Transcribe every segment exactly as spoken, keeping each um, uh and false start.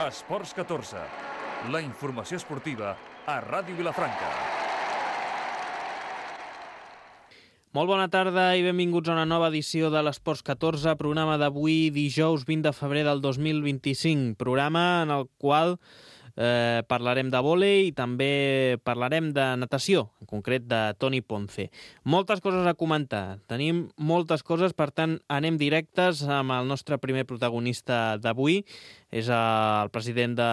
Esports catorze, la informació esportiva a Ràdio Vilafranca. Molt bona tarda i benvinguts a una nova edició de l'Esports catorze, programa d'avui, dijous vint de febrer del dos mil vint-i-cinc, programa en el qual eh, parlarem de vòlei i també parlarem de natació, en concret de Toni Ponce. Moltes coses a comentar, tenim moltes coses, per tant anem directes amb el nostre primer protagonista d'avui, és el president de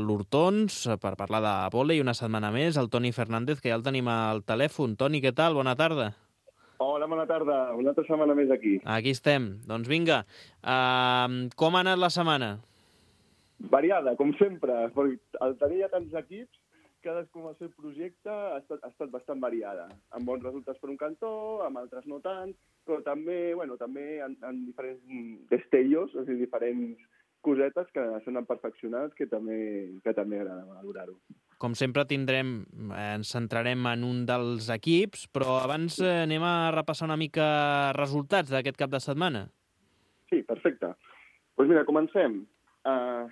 l'Hortons, per parlar de vòlei una setmana més, el Toni Fernández, que ja el tenim al telèfon. Toni, què tal? Bona tarda. Hola, bona tarda. Una altra setmana més aquí. Aquí estem. Doncs vinga, uh, com ha anat la setmana? Variada, com sempre. Perquè al tenir ja tants equips, cadascú amb el seu projecte ha estat, ha estat bastant variada. Amb bons resultats per un cantó, amb altres no tant, però també, bueno, també en, en diferents destellos, o sigui, diferents cosetes que s'han perfeccionat, que també, que també agrada valorar-ho. Com sempre tindrem, ens centrarem en un dels equips, però abans eh, anem a repassar una mica resultats d'aquest cap de setmana. Sí, perfecte. Doncs pues mira, comencem. Uh,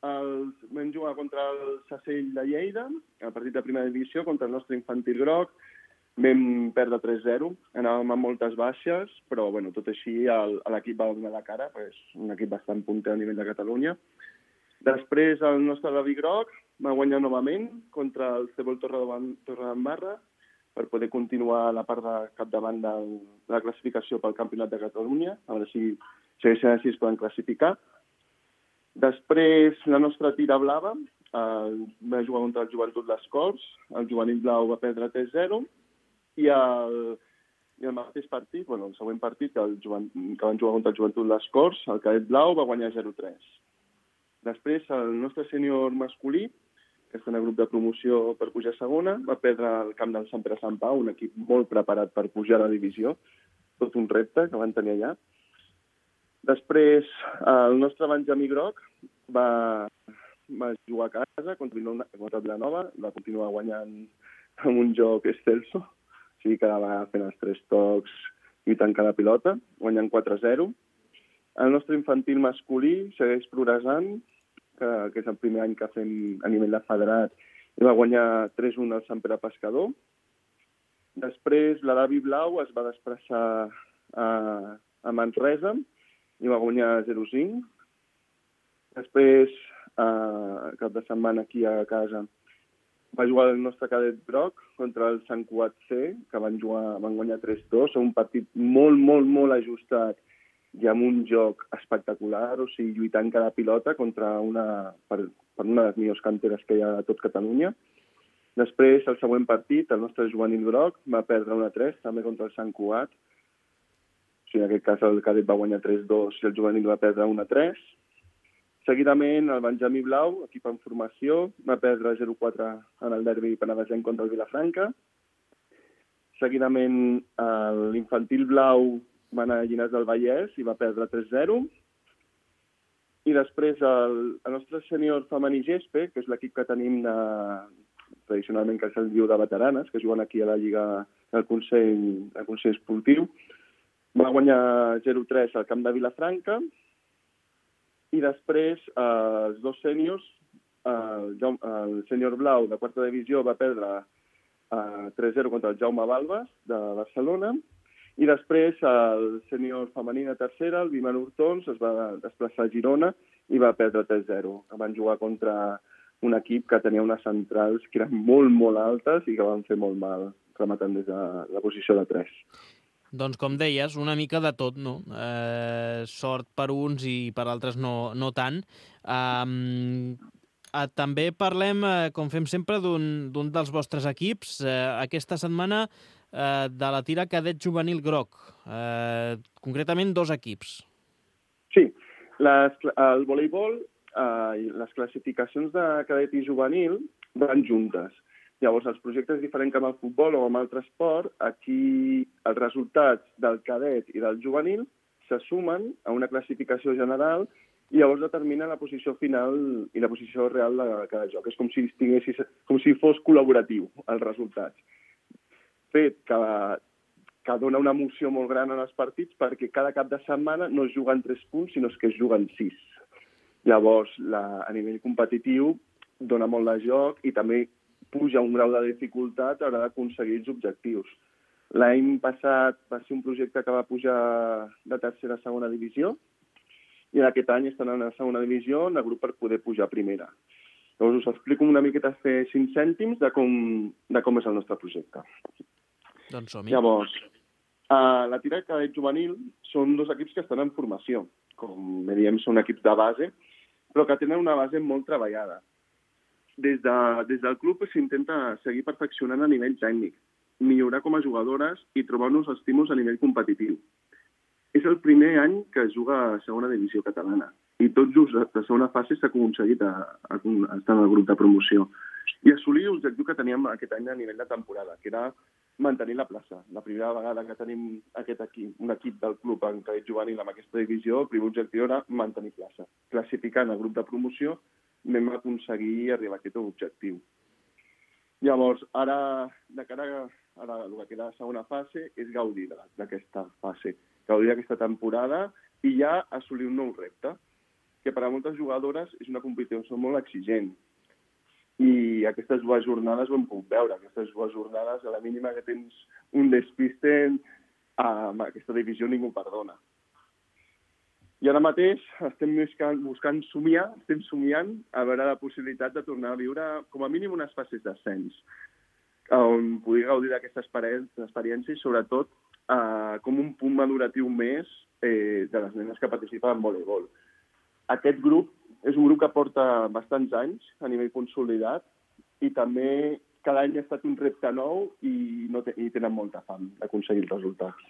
els, vam jugar contra el Sacell de Lleida, el partit de primera divisió, contra el nostre infantil groc. Vam perdre tres zero, anàvem amb moltes baixes, però bueno, tot així l'equip va donar la cara, és un equip bastant punter a nivell de Catalunya. Després el nostre Davi Groc va guanyar novament contra el Cebol Torredembarra per poder continuar la part de capdavant de la classificació pel Campionat de Catalunya, a veure si segueixen així es poden classificar. Després la nostra tira blava eh, va jugar contra el Joventut Les Corts, el juvenil blau va perdre tres zero, i el, i el mateix partit, bueno, el següent partit, que, el jovent, que van jugar contra el Joventut Les Corts, el cadet blau va guanyar zero tres. Després, el nostre sènior masculí, que està en el grup de promoció per pujar a segona, va perdre el camp del Sant Pere Sant Pau, un equip molt preparat per pujar a la divisió, tot un repte que van tenir allà. Després, el nostre Benjamí Groc va, va jugar a casa contra Vilanova, va continuar guanyant amb un joc excelso, o sigui que va fent els tres tocs i tancant la pilota, guanyant quatre zero. El nostre infantil masculí segueix progressant, que, que és el primer any que fem a nivell de federat, i va guanyar tres un al Sant Pere Pescador. Després, la Davi Blau es va desplaçar a, a Manresa i va guanyar zero cinc. Després, eh, cap de setmana aquí a casa, va jugar el nostre cadet groc contra el Sant Cugat C, que van, jugar, van guanyar tres dos, un partit molt, molt, molt ajustat i amb un joc espectacular, o sigui, lluitant cada pilota contra una, per, per una de les millors canteres que hi ha a tot Catalunya. Després, el següent partit, el nostre juvenil groc va perdre un a tres, també contra el Sant Cugat. O sigui, en aquest cas el cadet va guanyar tres dos i el juvenil va perdre un a tres. Seguidament, el Benjamí Blau, equip en formació, va perdre zero quatre en el derbi penedesenc contra el Vilafranca. Seguidament, l'infantil blau va anar a Llinars del Vallès i va perdre tres zero. I després, el, el nostre sènior femení Gespe, que és l'equip que tenim de, tradicionalment que se'l diu de veteranes, que juguen aquí a la Lliga del Consell, del Consell Esportiu, va guanyar zero tres al camp de Vilafranca. I després, eh, els dos sèniors, eh, el sènior blau de quarta divisió va perdre eh, tres zero contra el Jaume Balbas, de Barcelona, i després el sènior femení de tercera, el Viman Hortons, es va desplaçar a Girona i va perdre tres zero. Van jugar contra un equip que tenia unes centrals que eren molt, molt altes i que van fer molt mal, rematant des de la posició de tres. Doncs com deies, una mica de tot, no? Eh, sort per uns i per altres no, no tant. Um, eh, també parlem, eh, com fem sempre, d'un dels vostres equips. Eh, aquesta setmana eh, de la tira cadet juvenil groc. Eh, concretament dos equips. Sí, les, el voleibol eh, i les classificacions de cadet i juvenil van juntes. Llavors, els projectes diferents que amb el futbol o amb altre esport, aquí els resultats del cadet i del juvenil se sumen a una classificació general i llavors determina la posició final i la posició real de cada joc. És com si, com si fos col·laboratiu, els resultats. Fet que, que dona una emoció molt gran en els partits perquè cada cap de setmana no es juguen tres punts, sinó que es juguen sis. Llavors, la, a nivell competitiu, dona molt de joc i també puja un grau de dificultat a l'hora d'aconseguir els objectius. L'any passat va ser un projecte que va pujar de tercera a segona divisió i en aquest any estan en la segona divisió en el grup per poder pujar a primera. Llavors us explico una miqueta a fer cinc cèntims de com, de com és el nostre projecte. Doncs som-hi. Llavors, a la tira cadet juvenil són dos equips que estan en formació. Com diem, són equips de base, però que tenen una base molt treballada. Des, de, des del club s'intenta seguir perfeccionant a nivell tècnic, millorar com a jugadores i trobar nous estímuls a nivell competitiu. És el primer any que es juga a segona divisió catalana i tot just a la segona fase s'ha aconseguit a, a, a estar en el grup de promoció i assolir l'objectiu que teníem aquest any a nivell de temporada, que era mantenir la plaça. La primera vegada que tenim aquest equip, un equip del club en cadet juvenil amb aquesta divisió, el primer objectiu era mantenir plaça. Classificant el grup de promoció vam aconseguir arribar a aquest objectiu. Llavors, ara, de cara a ara, el que queda a la segona fase és gaudir d'aquesta fase, gaudir d'aquesta temporada i ja assolir un nou repte, que per a moltes jugadores és una competició molt exigent. I aquestes dues jornades ho hem pogut veure. Aquestes dues jornades, a la mínima que tens un despiste, amb aquesta divisió ningú perdona. I ara mateix estem buscant, buscant somiar, estem somiant a veure la possibilitat de tornar a viure com a mínim unes fases d'ascens, on pugui gaudir d'aquesta experiència i sobretot eh, com un punt maduratiu més eh, de les nenes que participen en voleibol. Aquest grup és un grup que porta bastants anys a nivell consolidat i també cada any ha estat un repte nou i, no te, i tenen molta fam d'aconseguir els resultats.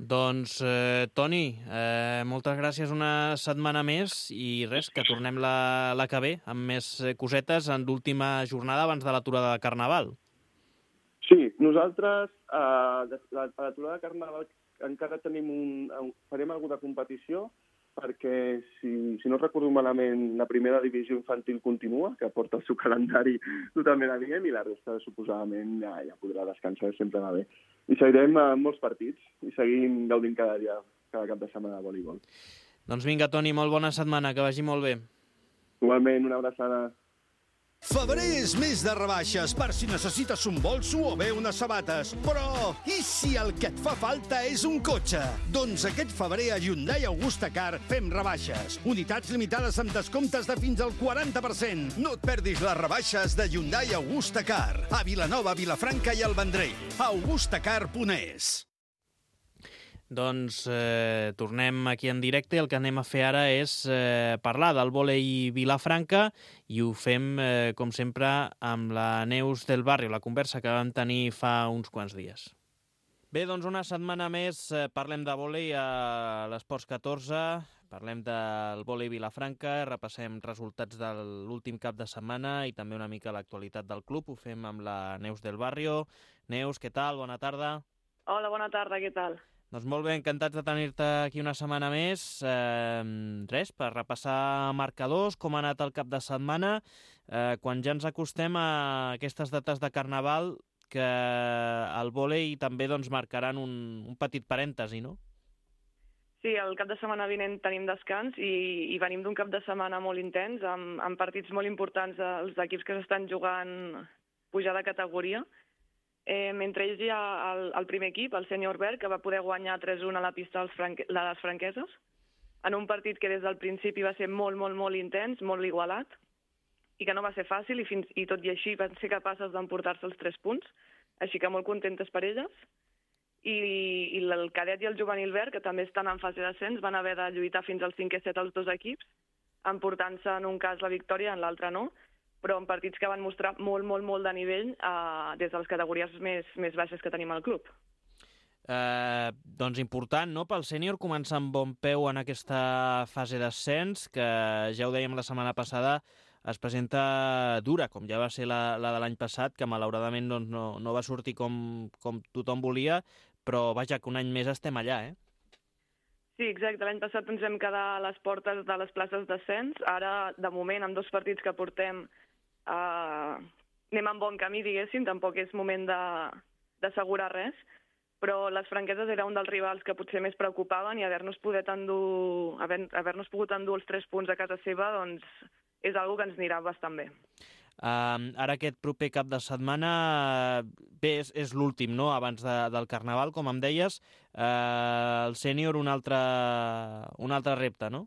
Doncs, eh, Toni, eh, moltes gràcies una setmana més i res, que tornem la, la que ve amb més cosetes en l'última jornada abans de l'aturada de Carnaval. Sí, nosaltres eh, a l'aturada de Carnaval encara tenim un, farem alguna competició perquè, si, si no recordo malament, la primera divisió infantil continua, que porta el seu calendari totalment adient, i la resta, suposadament, ja, ja podrà descansar, sempre va bé. I seguirem amb molts partits i seguim gaudint cada dia, cada cap de setmana de voleibol. Doncs vinga, Toni, molt bona setmana, que vagi molt bé. Igualment, una abraçada. Febrer és mes de rebaixes per si necessites un bolso o bé unes sabates. Però, i si el que et fa falta és un cotxe? Doncs aquest febrer a Hyundai Augusta Car fem rebaixes. Unitats limitades amb descomptes de fins al quaranta per cent. No et perdis les rebaixes de Hyundai Augusta Car. A Vilanova, Vilafranca i el Vendrell. augustacar punt es. Doncs eh, tornem aquí en directe. El que anem a fer ara és eh, parlar del vòlei Vilafranca i ho fem, eh, com sempre, amb la Neus del Barrio, la conversa que vam tenir fa uns quants dies. Bé, doncs una setmana més eh, parlem de vòlei a l'Esports catorze, parlem del vòlei Vilafranca, repassem resultats de l'últim cap de setmana i també una mica l'actualitat del club. Ho fem amb la Neus del Barrio. Neus, què tal? Bona tarda. Hola, bona tarda, què tal? Doncs molt bé, encantats de tenir-te aquí una setmana més. Eh, res, per repassar marcadors, com ha anat el cap de setmana, eh, quan ja ens acostem a aquestes dates de Carnaval, que el vòlei també doncs, marcaran un, un petit parèntesi, no? Sí, el cap de setmana vinent tenim descans i, i venim d'un cap de setmana molt intens, amb, amb partits molt importants dels equips que s'estan jugant pujar de categoria. Eh, mentre ells hi ha el, el primer equip, el Sènior Verd, que va poder guanyar tres a una a la pista dels franque, de les franqueses, en un partit que des del principi va ser molt, molt, molt intens, molt igualat, i que no va ser fàcil, i, fins, i tot i així van ser capaces d'emportar-se els tres punts, així que molt contentes per elles. I, i el cadet i el juvenil verd, que també estan en fase d'ascens, van haver de lluitar fins al cinquè set els dos equips, emportant-se en un cas la victòria, en l'altre no, però en partits que van mostrar molt, molt, molt de nivell eh, des de les categories més, més baixes que tenim al club. Eh, doncs important, no?, pel sènior començar amb bon peu en aquesta fase d'ascens, que ja ho dèiem la setmana passada, es presenta dura, com ja va ser la, la de l'any passat, que malauradament doncs, no, no va sortir com, com tothom volia, però vaja, que un any més estem allà, eh? Sí, exacte. L'any passat ens vam quedar a les portes de les places d'ascens. Ara, de moment, amb dos partits que portem, Uh, anem en bon camí, diguéssim, tampoc és moment d'assegurar res, però les Franqueses era un dels rivals que potser més preocupaven i haver-nos poder endur, haver, haver-nos pogut endur els tres punts a casa seva, doncs és algo que ens anirà bastant bé. Uh, ara aquest proper cap de setmana, bé, és, és l'últim, no?, abans de, del Carnaval, com em deies. Uh, el sènior, un altre, un altre repte, no?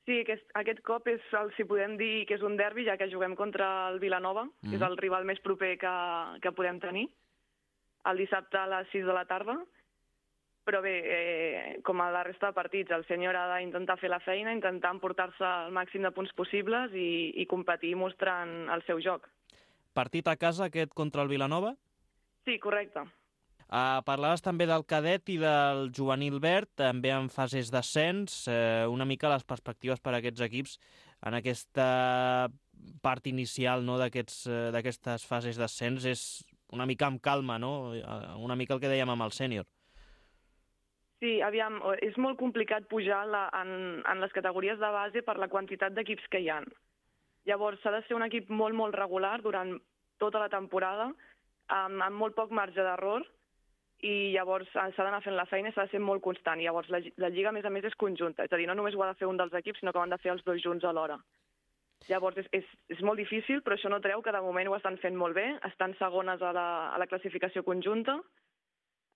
Sí, aquest, aquest cop és el, si podem dir que és un derbi, ja que juguem contra el Vilanova, mm. que és el rival més proper que, que podem tenir, el dissabte a les sis de la tarda. Però bé, eh, com a la resta de partits, el sènior ha d'intentar fer la feina, intentar emportar-se el màxim de punts possibles i, i competir mostrant el seu joc. Partit a casa aquest contra el Vilanova? Sí, correcte. Uh, parlaves també del cadet i del juvenil verd, també en fases d'ascens. Uh, una mica les perspectives per a aquests equips en aquesta part inicial, no, d'aquests, uh, d'aquestes fases d'ascens és una mica amb calma, no? Una mica el que dèiem amb el sènior. Sí, aviam, és molt complicat pujar la, en, en les categories de base per la quantitat d'equips que hi ha. Llavors, s'ha de ser un equip molt, molt regular durant tota la temporada, amb, amb molt poc marge d'error, i llavors s'ha d'anar fent la feina i s'ha de ser molt constant. I llavors, la, la Lliga, a més a més, és conjunta. És a dir, no només ho ha de fer un dels equips, sinó que ho han de fer els dos junts alhora. Llavors, és, és, és molt difícil, però això no treu que de moment ho estan fent molt bé. Estan segones a la, a la classificació conjunta,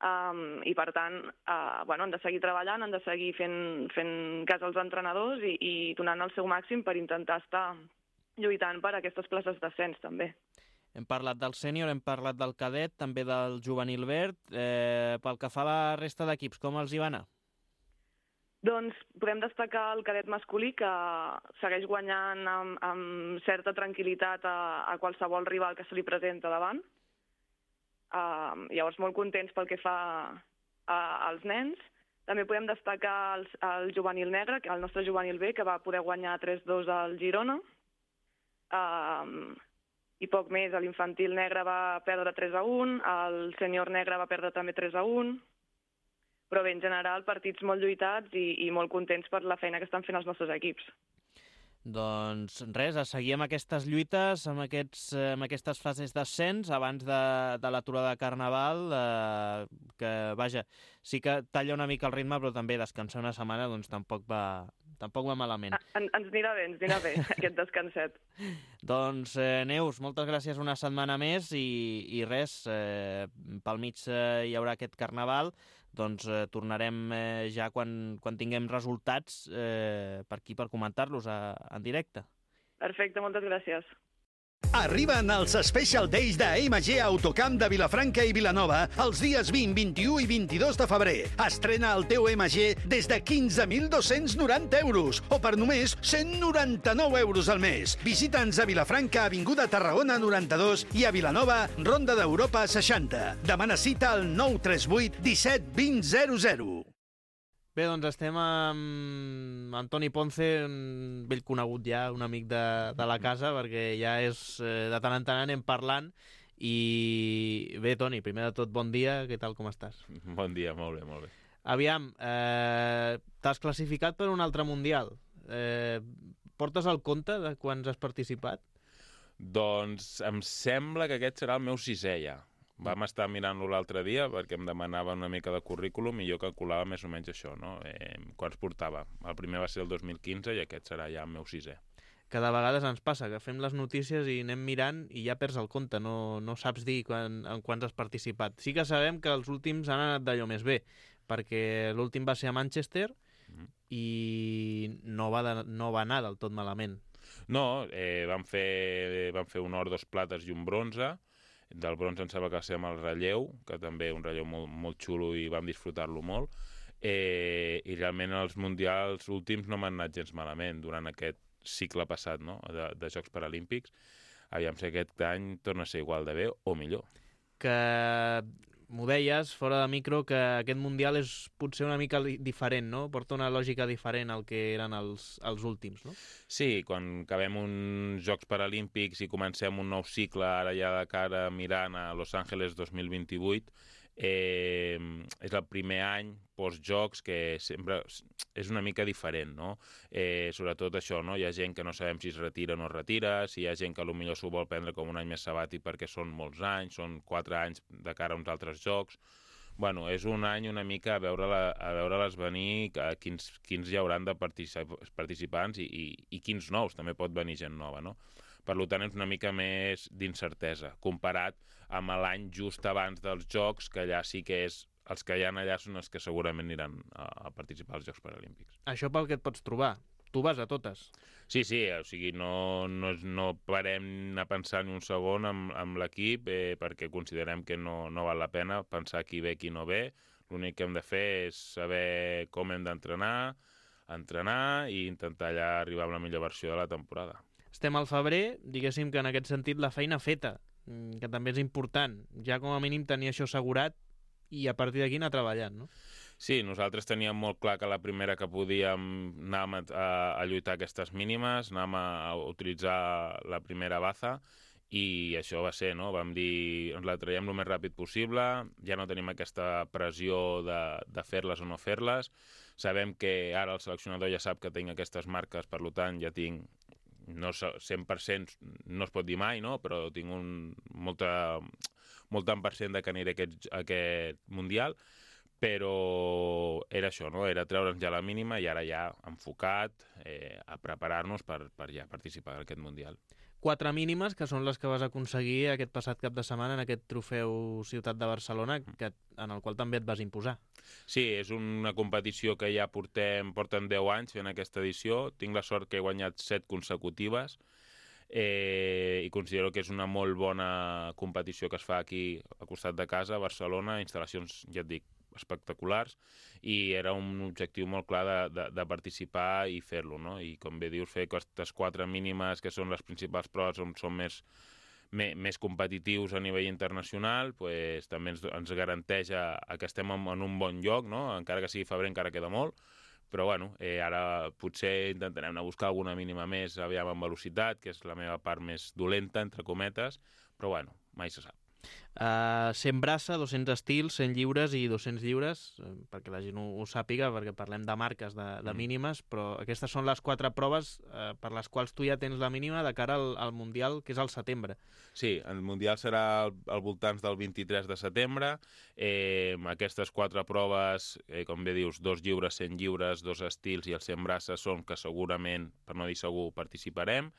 Um, i per tant uh, bueno, han de seguir treballant, han de seguir fent, fent cas als entrenadors i, i donant el seu màxim per intentar estar lluitant per aquestes places d'ascens també. Hem parlat del sènior, hem parlat del cadet, també del juvenil verd. Eh, pel que fa a la resta d'equips, com els hi va anar? Doncs podem destacar el cadet masculí, que segueix guanyant amb, amb certa tranquil·litat a, a qualsevol rival que se li presenta davant. Uh, llavors, molt contents pel que fa uh, als nens. També podem destacar el, el juvenil negre, el nostre juvenil B, que va poder guanyar tres dos al Girona. Uh, I poc més, l'infantil negre va perdre tres a un, el sènior negre va perdre també tres a un. Però bé, en general, partits molt lluitats i, i molt contents per la feina que estan fent els nostres equips. Doncs res, a seguir amb aquestes lluites, amb, aquests, amb aquestes fases d'ascens abans de, de l'aturada de Carnaval, eh, que, vaja, sí que talla una mica el ritme, però també descansar una setmana doncs tampoc va, tampoc va malament. En, ens anirà bé, ens anirà bé, aquest descanset. Doncs, eh, Neus, moltes gràcies una setmana més i, i res, eh, pel mig eh, hi haurà aquest Carnaval, doncs eh, tornarem eh, ja quan, quan tinguem resultats eh, per aquí per comentar-los a, en directe. Perfecte, moltes gràcies. Arriben els Special Days de M G Autocamp de Vilafranca i Vilanova els dies vint, vint-i-u i vint-i-dos de febrer. Estrena el teu M G des de quinze mil dos-cents noranta euros o per només cent noranta-nou euros al mes. Visita'ns a Vilafranca, Avinguda Tarragona noranta-dos i a Vilanova, Ronda d'Europa seixanta. Demana cita al nou tres vuit disset vint zero zero. Bé, doncs estem amb Antoni Ponce, un vell conegut ja, un amic de, de la casa, perquè ja és, eh, de tant en tant anem parlant. I bé, Toni, primer de tot, bon dia, què tal, com estàs? Bon dia, molt bé, molt bé. Aviam, eh, t'has classificat per un altre Mundial. Eh, portes el compte de quants has participat? Doncs em sembla que aquest serà el meu sisè ja. Vam estar mirant-lo l'altre dia perquè em demanava una mica de currículum i jo calculava més o menys això, no? Eh, quants portava. El primer va ser el dos mil quinze i aquest serà ja el meu sisè. Que de vegades ens passa, que fem les notícies i anem mirant i ja perds el compte, no, no saps dir quan, en quants has participat. Sí que sabem que els últims han anat d'allò més bé, perquè l'últim va ser a Manchester mm. i no va, de, no va anar del tot malament. No, eh, vam, fer, vam fer un or, dos plates i un bronze. Del bronze em sembla que va ser amb el relleu, que també un relleu molt, molt xulo i vam disfrutar-lo molt. Eh, I realment els mundials últims no m'han anat gens malament durant aquest cicle passat, no? de, de Jocs Paralímpics. Aviam si aquest any torna a ser igual de bé o millor. Que m'ho deies, fora de micro, que aquest Mundial és potser una mica diferent, no? Porta una lògica diferent al que eren els, els últims, no? Sí, quan acabem uns Jocs Paralímpics i comencem un nou cicle, ara ja de cara mirant a Los Angeles dos mil vint-i-vuit, eh, és el primer any post-jocs que sempre és una mica diferent, no? Eh, sobretot això, no? Hi ha gent que no sabem si es retira o no es retira, si hi ha gent que potser s'ho vol prendre com un any més sabàtic perquè són molts anys, són quatre anys de cara a uns altres jocs. Bueno, és un any una mica a veure-la, a veure-les venir, a quins, quins hi hauran de particip participants i, i, i quins nous, també pot venir gent nova, no? Per tant, és una mica més d'incertesa, comparat amb l'any just abans dels Jocs, que allà sí que és... Els que hi ha allà són els que segurament aniran a, a participar als Jocs Paralímpics. Això pel que et pots trobar. Tu vas a totes. Sí, sí, o sigui, no, no, no parem a pensar ni un segon amb, amb l'equip eh, perquè considerem que no, no val la pena pensar qui ve, qui no ve. L'únic que hem de fer és saber com hem d'entrenar, entrenar i intentar allà arribar amb la millor versió de la temporada. Estem al febrer, diguéssim que en aquest sentit la feina feta, que també és important. Ja com a mínim tenir això assegurat i a partir d'aquí anar treballant, no? Sí, nosaltres teníem molt clar que la primera que podíem anàvem a, a, a lluitar aquestes mínimes, anàvem a, a utilitzar la primera baza i això va ser, no? Vam dir, ens la traiem el més ràpid possible, ja no tenim aquesta pressió de, de fer-les o no fer-les, sabem que ara el seleccionador ja sap que tinc aquestes marques, per tant ja tinc, no cent per cent no es pot dir mai, no? Però tinc un, molta, molt tant per cent de que aniré a aquest, a aquest Mundial, però era això, no? Era treure'ns ja la mínima i ara ja enfocat eh, a preparar-nos per, per ja participar en aquest Mundial. Quatre mínimes, que són les que vas aconseguir aquest passat cap de setmana en aquest trofeu Ciutat de Barcelona, que, en el qual també et vas imposar. Sí, és una competició que ja portem, porten deu anys fent aquesta edició. Tinc la sort que he guanyat set consecutives eh, i considero que és una molt bona competició que es fa aquí al costat de casa, a Barcelona, instal·lacions, ja et dic, espectaculars, i era un objectiu molt clar de, de, de participar i fer-lo, no? I com bé dius, fer aquestes quatre mínimes que són les principals proves on som més, més, més competitius a nivell internacional, pues, també ens, ens garanteix a, a que estem en, en un bon lloc, no? Encara que sigui febrer encara queda molt, però bueno, eh, ara potser intentarem anar a buscar alguna mínima més aviam en velocitat, que és la meva part més dolenta, entre cometes, però bueno, mai se sap. Uh, cent braça, dos-cents estils, cent lliures i dos-cents lliures, eh, perquè la gent ho, ho sàpiga, perquè parlem de marques, de, de Mm. mínimes, però aquestes són les quatre proves eh, per les quals tu ja tens la mínima de cara al, al Mundial, que és al setembre. Sí, el Mundial serà al, al voltants del vint-i-tres de setembre. Eh, aquestes quatre proves, eh, com bé dius, dos lliures, cent lliures, dos estils i els cent braces són que segurament, per no dir segur, participarem.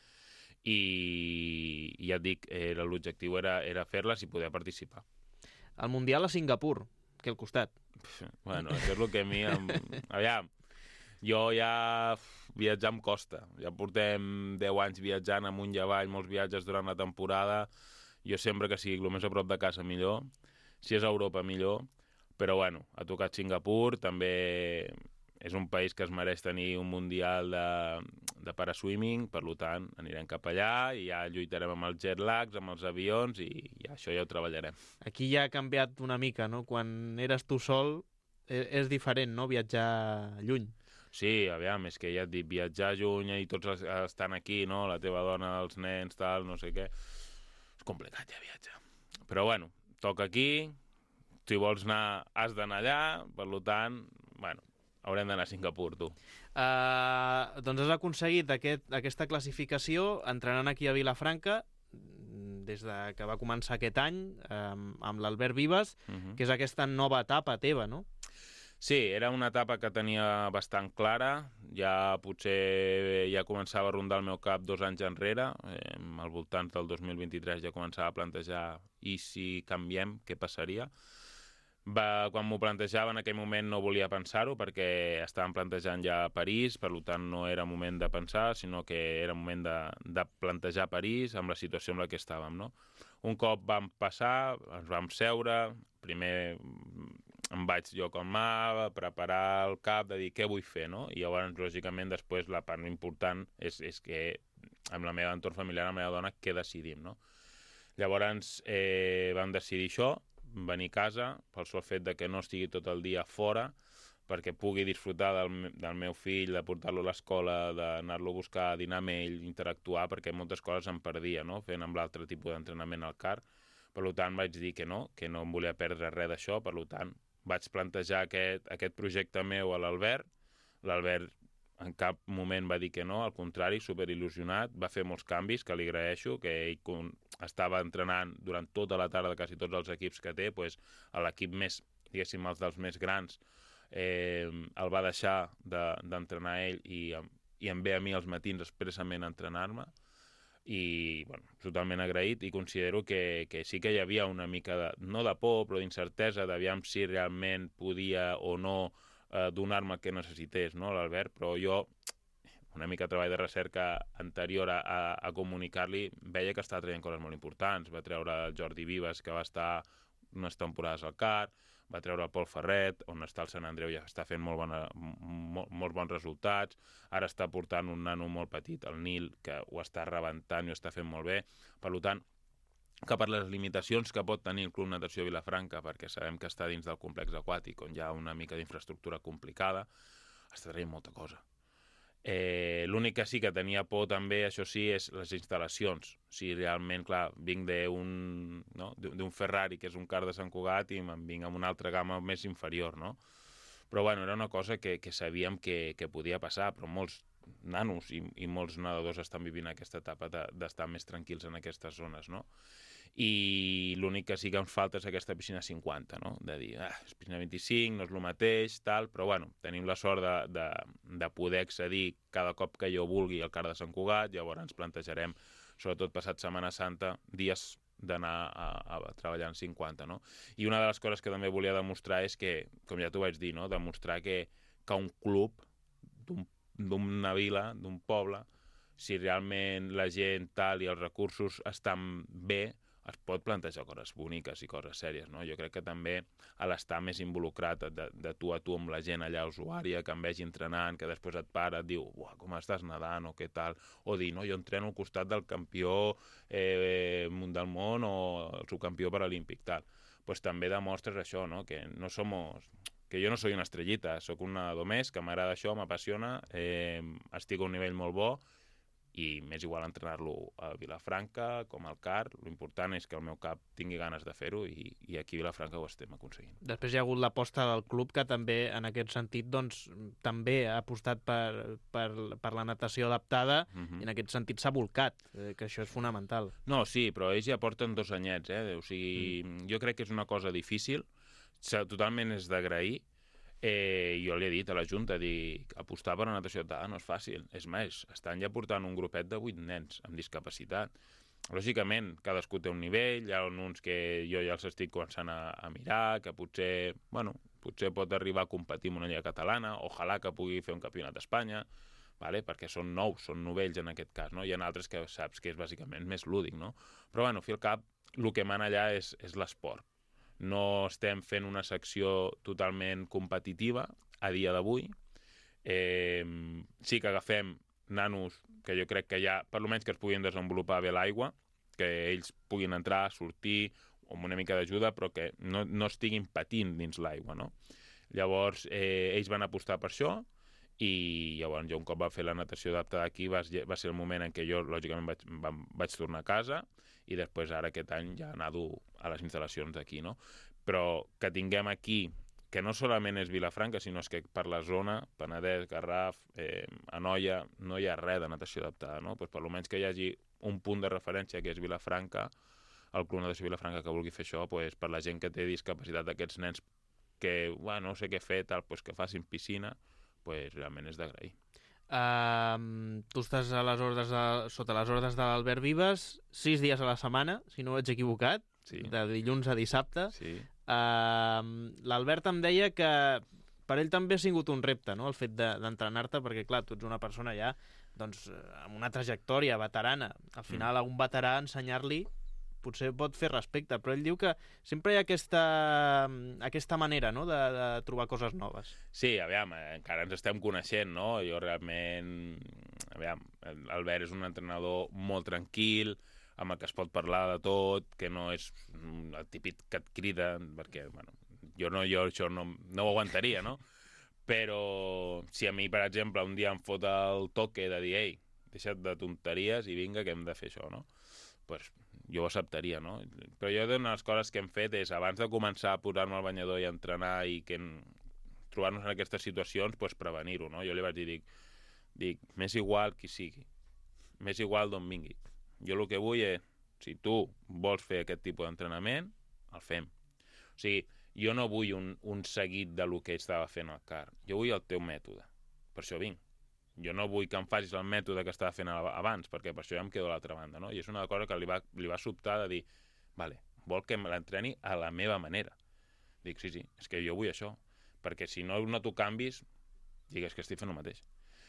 I ja et dic, era, l'objectiu era, era fer-les i poder participar. El Mundial a Singapur, que al costat. Bueno, això és el que a mi... Em... Aviam, jo ja viatjar em costa. Ja portem deu anys viatjant amunt i avall, molts viatges durant la temporada. Jo sempre que sigui el més a prop de casa millor. Si és a Europa millor. Però bueno, ha tocat Singapur, també... És un país que es mereix tenir un mundial de, de paraswimming, per tant, anirem cap allà i ja lluitarem amb els jet lags, amb els avions i ja això ja ho treballarem. Aquí ja ha canviat una mica, no? Quan eres tu sol és, és diferent, no?, viatjar lluny. Sí, aviam, és que ja et dic, viatjar lluny i tots estan aquí, no?, la teva dona, els nens, tal, no sé què... És complicat ja viatjar. Però bueno, toca aquí, si vols anar, has d'anar allà, per tant, bueno... Haurem d'anar a Singapur, tu. Uh, doncs has aconseguit aquest, aquesta classificació entrenant aquí a Vilafranca des de que va començar aquest any um, amb l'Albert Vives, Uh-huh. que és aquesta nova etapa teva, no? Sí, era una etapa que tenia bastant clara, ja potser ja començava a rondar el meu cap dos anys enrere, eh, al voltant del dos mil vint-i-tres ja començava a plantejar i si canviem, què passaria? Va, quan m'ho plantejava en aquell moment no volia pensar-ho perquè estàvem plantejant ja París, per tant no era moment de pensar, sinó que era moment de, de plantejar París amb la situació en la que estàvem, no? Un cop vam passar, ens vam seure, primer em vaig jo calmar, preparar el cap, de dir què vull fer, no? I llavors, lògicament, després la part important és, és que amb la meva entorn familiar, amb la meva dona, què decidim, no? Llavors eh, vam decidir això, venir a casa, pel sol fet de que no estigui tot el dia fora, perquè pugui disfrutar del, del meu fill, de portar-lo a l'escola, d'anar-lo a buscar, a dinar amb ell, interactuar, perquè moltes coses em perdia, no?, fent amb l'altre tipus d'entrenament al car. Per tant, vaig dir que no, que no em volia perdre res d'això, per tant, vaig plantejar aquest, aquest projecte meu a l'Albert. L'Albert en cap moment va dir que no, al contrari, superil·lusionat, va fer molts canvis, que li agraeixo, que ell estava entrenant durant tota la tarda quasi tots els equips que té, pues, a l'equip més diguéssim, els dels més grans, eh, el va deixar d'entrenar ell i, i em ve a mi als matins expressament a entrenar-me, i bueno, totalment agraït, i considero que, que sí que hi havia una mica de, no de por, però d'incertesa, d'aviam si realment podia o no eh, donar-me el que necessités, no, l'Albert, però jo, una mica de treball de recerca anterior a, a, a comunicar-li, veia que estava traient coses molt importants. Va treure el Jordi Vives, que va estar unes temporades al C A R, va treure el Pol Ferret, on està el Sant Andreu, ja està fent molt, bona, molt, molt bons resultats. Ara està portant un nano molt petit, el Nil, que ho està rebentant i ho està fent molt bé. Per tant, que per les limitacions que pot tenir el Club Natació Vilafranca, perquè sabem que està dins del complex aquàtic, on hi ha una mica d'infraestructura complicada, està traient molta cosa. Eh, L'únic que sí que tenia por també, això sí, és les instal·lacions. Si realment, clar, vinc d'un no? d'un Ferrari, que és un car de Sant Cugat, i me'n vinc amb una altra gamma més inferior, no? Però, bueno, era una cosa que, que sabíem que, que podia passar, però molts nanos i, i molts nedadors estan vivint aquesta etapa d'estar més tranquils en aquestes zones, no? I l'únic que sí que ens falta és aquesta piscina cinquanta, no? De dir, ah, és piscina vint-i-cinc, no és el mateix, tal, però bueno, tenim la sort de, de, de poder accedir cada cop que jo vulgui al car de Sant Cugat. Llavors ens plantejarem, sobretot passat Setmana Santa, dies d'anar a, a treballar en cinquanta, no? I una de les coses que també volia demostrar és que, com ja t'ho vaig dir, no? Demostrar que, que un club d'una vila, d'un poble, si realment la gent tal i els recursos estan bé, es pot plantejar coses boniques i coses sèries, no? Jo crec que també a l'estar més involucrat de, de tu a tu amb la gent allà usuària, que em vegi entrenant, que després et para, et diu, uah, com estàs nedant o què tal, o dir, no, jo entreno al costat del campió eh, del món o el subcampió paralímpic, tal. Pues també demostres això, no? Que no somos... que jo no soy una estrellita, sóc un nedador més, que m'agrada això, m'apassiona, eh, estic a un nivell molt bo, i m'és igual entrenar-lo a Vilafranca com al C A R. L'important és que el meu cap tingui ganes de fer-ho, i, i aquí a Vilafranca ho estem aconseguint. Després hi ha hagut l'aposta del club, que també, en aquest sentit, doncs, també ha apostat per, per, per la natació adaptada, uh-huh. i en aquest sentit s'ha volcat, eh, que això és fonamental. No, sí, però ells ja porten dos anyets, eh? O sigui, mm. jo crec que és una cosa difícil, totalment és d'agrair. Eh, jo li he dit a la Junta, dic, apostar per la natació adaptada no és fàcil. És més, estan ja portant un grupet de vuit nens amb discapacitat. Lògicament, cadascú té un nivell, hi ha uns que jo ja els estic començant a, a mirar, que potser, bueno, potser pot arribar a competir en una lliga catalana, ojalà que pugui fer un campionat d'Espanya, vale? Perquè són nous, són novells en aquest cas, no? Hi ha altres que saps que és bàsicament més lúdic, no? Però, bueno, al fi al cap, el que mana allà és, és l'esport. No estem fent una secció totalment competitiva a dia d'avui. Eh, sí que agafem nanos que jo crec que ja, per almenys que es puguin desenvolupar bé l'aigua, que ells puguin entrar, sortir, amb una mica d'ajuda, però que no, no estiguin patint dins l'aigua, no? Llavors, eh, ells van apostar per això, i llavors jo un cop va fer la natació adaptada aquí va, va ser el moment en què jo, lògicament, vaig, va, vaig tornar a casa, i després ara aquest any ja nado a les instal·lacions d'aquí, no? Però que tinguem aquí, que no solament és Vilafranca, sinó és que per la zona, Penedès, Garraf, eh, Anoia, no hi ha res de natació adaptada, no? Pues per almenys que hi hagi un punt de referència, que és Vilafranca, el Club Natació Vilafranca que vulgui fer això, pues per la gent que té discapacitat d'aquests nens que, bueno, no sé què fer, tal, pues que facin piscina, pues realment és d'agrair. Uh, tu estàs a les ordres de, sota les ordres de l'Albert Vives sis dies a la setmana, si no ho ets equivocat, sí. De dilluns a dissabte. Sí. Uh, L'Albert em deia que per ell també ha sigut un repte, no?, el fet d'entrenar-te, perquè clar, tu ets una persona ja doncs, amb una trajectòria veterana. Al final mm. a un veterà ensenyar-li potser pot fer respecte, però ell diu que sempre hi ha aquesta, aquesta manera, no?, de, de trobar coses noves. Sí, aviam, encara ens estem coneixent, no? Jo realment, aviam, l'Albert és un entrenador molt tranquil, amb el que es pot parlar de tot, que no és el típic que et crida, perquè, bueno, jo no, jo això no, no ho aguantaria, no? Però si a mi, per exemple, un dia em fot el toque de dir, ei, deixa't de tonteries i vinga, que hem de fer això, no? Pues jo ho acceptaria, no? Però jo una de les coses que hem fet és, abans de començar a posar-me al banyador i a entrenar i que trobar-nos en aquestes situacions, pues prevenir-ho, no? Jo li vaig dir, dic, dic, m'és igual qui sigui, m'és igual d'on vingui. Jo el que vull és, si tu vols fer aquest tipus d'entrenament, el fem. O sigui, jo no vull un, un seguit de lo que estava fent el car. Jo vull el teu mètode. Per això vinc. Jo no vull que em facis el mètode que estava fent abans, perquè per això ja em quedo a l'altra banda, no? I és una cosa que li va, li va sobtar de dir, vale, vol que l'entreni a la meva manera. Dic, sí, sí, és que jo vull això, perquè si no, no t'ho canvis, digues que estic fent el mateix.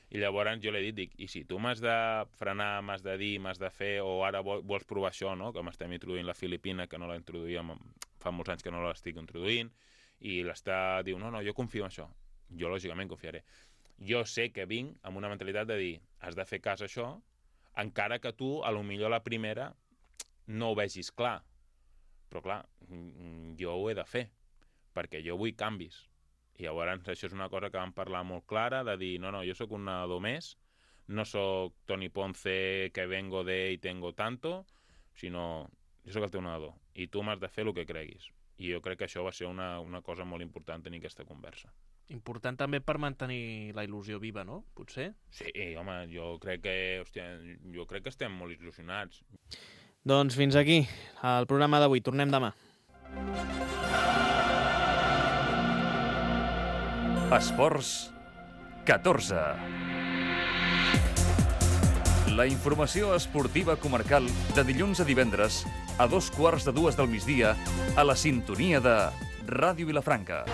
I llavors jo li he dit, dic, i si tu m'has de frenar, m'has de dir, m'has de fer, o ara vols provar això, no? Que m'estem introduint la Filipina, que no la introduïm, fa molts anys que no l'estic introduint, i l'està, diu, no, no, jo confio en això. Jo, lògicament, confiaré. Jo sé que vinc amb una mentalitat de dir, has de fer cas a això, encara que tu, a lo millor la primera, no ho vegis clar. Però, clar, jo ho he de fer, perquè jo vull canvis. I llavors això és una cosa que vam parlar molt clara, de dir, no, no, jo sóc un nedador més, no sóc Toni Ponce que vengo de y tengo tanto, sinó jo sóc el teu nedador i tu m'has de fer el que creguis. I jo crec que això va ser una, una cosa molt important tenir aquesta conversa. Important també per mantenir la il·lusió viva, no? Potser? Sí, home, jo crec que, hòstia, jo crec que estem molt il·lusionats. Doncs fins aquí el programa d'avui. Tornem demà. Esports catorze. La informació esportiva comarcal de dilluns a divendres a dos quarts de dues del migdia a la sintonia de Ràdio Vilafranca.